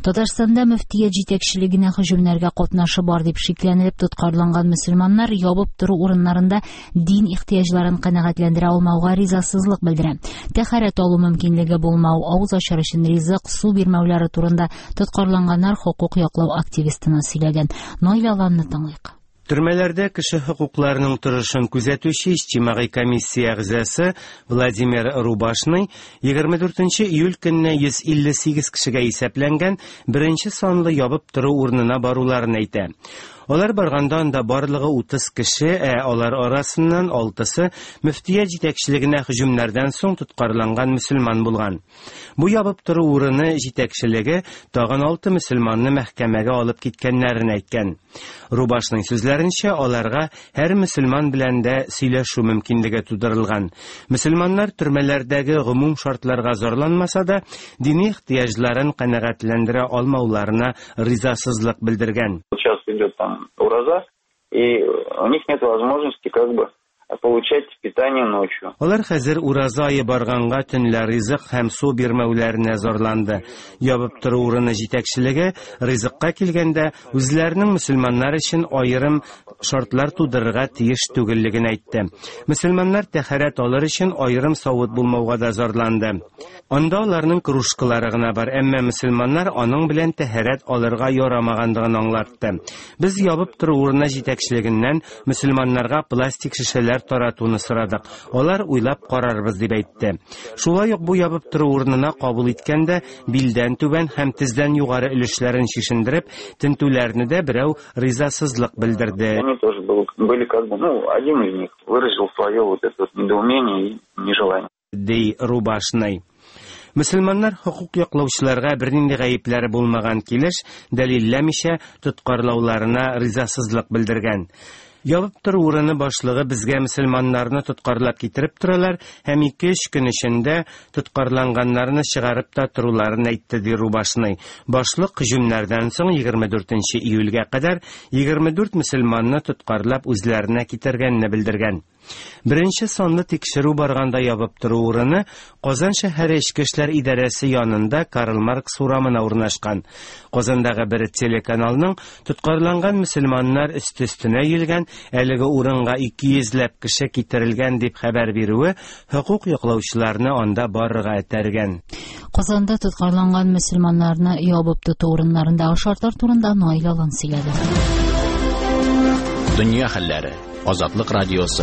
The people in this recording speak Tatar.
Татарстанда мөфтият җитәкчелегенә һөҗүмнәргә катнашы бар дип шикләнелеп тоткарланган мөселманнар ябып тору урыннарында дин ихтыяҗларын канәгатьләндерә алмауга ризасызлык белдерә. Тәһарәт алу мөмкинлеге булмау, авыз ачар өчен ризык, су бирмәүләре турында тоткарланганнар хокук яклау активистына сөйләгән. Наил Аланны тыңлыйк. Төрмәләрдә кеше хокукларының торышын күзәтүче иҗтимагый комиссия әгъзасы Владимир Рубашный 24 июль көнне 158 кешегә исәпләнгән беренче санлы ябып тору урынына баруларын әйтә. Алар барганда анда барлыгы 30 кеше, ә алар арасыннан 6-сы мөфтият җитәкчелегенә һөҗүмнәрдән соң тоткарланган мөселман булган. Бу ябып тору урыны җитәкчелеге тагын 6 мөселманны мәхкәмәгә алып киткәннәрен әйткән. Рубашның сүзләренчә, аларга һәр мөселман белән дә сөйләшү мөмкинлеге тудырылган. Мөселманнар төрмәләрдәге гомум шартларга зарланмаса да, дини ихтыяҗларын канәгатьләндерә алмауларына ризасызлык белдергән. Сейчас идет там ураза, и у них нет возможности как бы получать питание ночью. Алар хәзер ураза ае барганга төнлә ризык һәм су бирмәүләренә зарланды. Ябып тору урыны җитәкчелеге ризыкка килгәндә үзләренең мөселманнар өчен аерым шартлар тудырырга тиеш түгеллеген әйтте. Мөселманнар тәһарәт алыр өчен аерым савыт булмауга да зарланды. Анда аларның кружкалары гына бар, әмма мөселманнар аның белән тәһарәт алырга ярамагандыгын аңлатты. Без ябып тору урыны җитәкчелегеннән мөселманнарга пластик шешәләр таратуны сорадык. Алар уйлап карарбыз дип әйтте. Шулай ук бу ябып тору урынына кабул иткәндә билдән түбән һәм тездән югары өлешләрен чишендереп, тентүләрне дә берәү ризасызлык белдерде. Они тоже были как бы, ну, один из них выразил свое вот это вот недоумение и нежелание. Ди Рубашный. Мөселманнар хокук яклаучыларга бернинди гаепләре булмаган килеш, дәлилләмичә тоткарлауларына ризасызлык белдергән. Ябып тору урыны башлыгы безгә мөселманнарны тоткарлап китереп торалар һәм 2-3 көн эчендә тоткарланганнарны чыгарып та торуларын әйтте, ди Рубашный. Башлык һөҗүмнәрдән соң 24 июльгә кадәр 24 мөселманны тоткарлап үзләренә китергәнне белдергән. Беренче санлы тикшерү барганда ябып тору урыны Казан шәһәре Эчке эшләр идарәсе янында Карл Маркс урамына урнашкан. Казандагы бер телеканалның тоткарланган мөселманнар өсте-өстенә өелгән, әлеге урынга 200 ләп кеше китерелгән дип хәбәр бирүе хокук яклаучыларны анда барырга этәргән. Казанда тоткарланган мөселманнарны ябып тоту урыннарындагы шартлар турында Наил Алан сөйләде. Дөнья хәлләре. Азатлык радиосы.